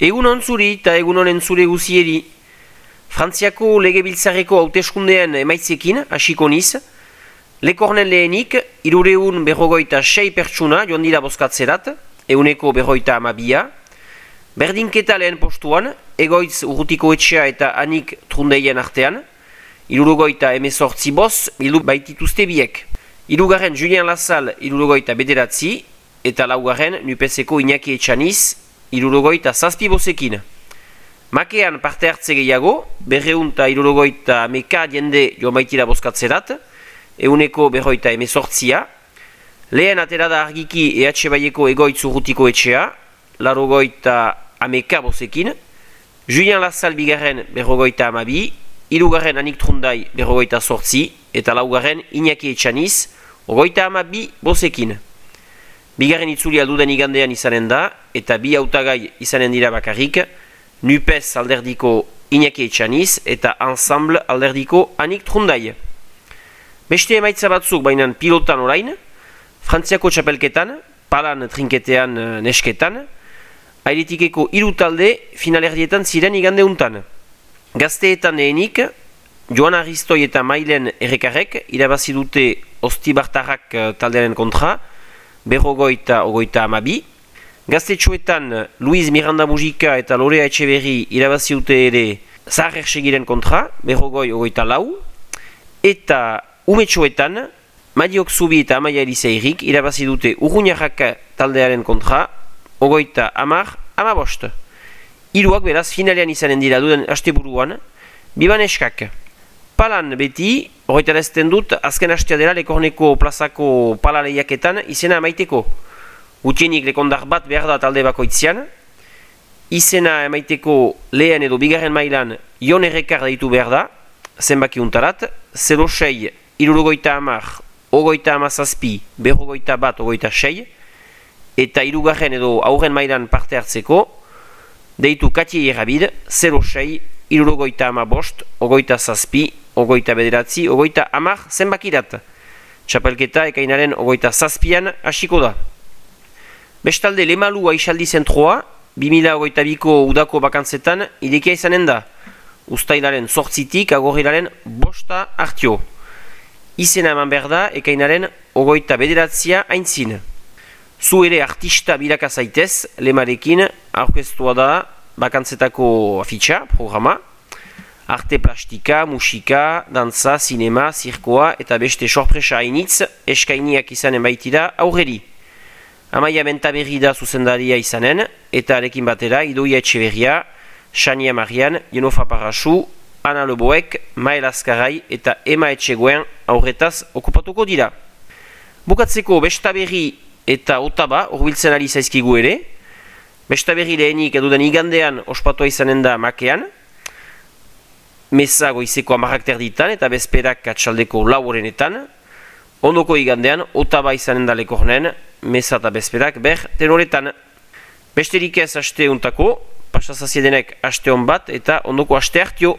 Egunon zuri eta egunon entzule guzieri. Frantziako legebiltzarreko hauteskundean emaitzekin hasiko niz. Lekornen lehenik, 356 pertsuna joan dira bozkatzerat, 152. Berdinketa lehen postuan, Egoitz Urrutiko Etxea eta Anik Trundeien artean, 78 boz bildu baitituzte biek. Hirugarren Julien Lassalle 79 eta laugarren NUPESeko Iñaki Etxaniz 77 bozekin. Makean parte hartze gehiago, 270 jende joan baitira bozkatzerat, 118. Lehen atera da argiki EH Baieko Egoitz Urrutiko Etxea, 90 bozekin. Julien Lassalle bigarren 52, hirugarren Anik Trundai 48 eta laugarren Iñaki Etxaniz 32 bozekin. Bigarren itzulia duden igandean izanen da, eta bi hautagai izanen dira bakarrik, NUPES alderdiko Iñaki Etxaniz eta Ensemble alderdiko Anik Trundai. Beste emaitza batzuk bainan pilotan orain, Frantziako txapelketan, palan trinketean nesketan, airetikeko 3 talde finalerdietan ziren igande untan. Gazteetan lehenik, Joan Aristoi eta Mailen Errekarrek irabazi dute Ostibartarrak taldearen kontra, 52. Gaztetxoetan Luis Miranda Mujika eta Lorea Etxeberri irabazi dute ere Zahar Ersegiren kontra, 54. Eta umetxoetan Madiok Zubi eta Amaia Eliseirik irabazi dute Urruñarrak taldearen kontra, 50. Hiruak beraz finalean izanen dira duden asteburuan, biban eskak. Palan beti, horretarazten dut, azken astea dela Lekorneko plazako pala lehiaketan izena emaiteko. Gutienik lekondar bat behar da talde bakoitzean. Izena emaiteko lehen edo bigarren mailan Jon Errekar deitu behar da, zenbaki untarat, 06, 70, 57, 51, eta hirugarren edo aurren mailan parte hartzeko, deitu Katie Errabid, 06, 75, 27, 29, zenbakirat. Txapelketa ekainaren 27an hasiko da. Bestalde Lemalu Aixaldi zentroa, 2022ko udako bakantzetan irekia izanen da. Uztailaren 8tik agorrilaren 5 hartio. Izena eman behar da ekainaren 29a aintzin. Zu ere artista bilaka zaitez, Lemarekin aurkeztua da bakantzetako afitxa, programa. Arte plastika, musika, dantza, sinema, zirkoa eta beste sorpresa hainitz eskainiak izanen baitira aurreri. Amaia Bentaberri da zuzendaria izanen, eta arekin batera Idoia Etxeberria, Xania Marian, Jenofa Parasu, Ana Leboek, Mael Azkarai eta Ema Etxegoen aurretaz okupatuko dira. Bukatzeko Bestaberri eta Otaba horbiltzen ari zaizkigu ere. Bestaberri lehenik eduden igandean ospatua izanen da Makean, Meza goizeko 10 ditan eta bezperak atxaldeko 4 Ondoko igandean Otaba izanen da Lekornen, Meza eta bezperak tenoretan. Besterik ez aste untako, pasazaziedenek aste hon bat eta ondoko aste hartio.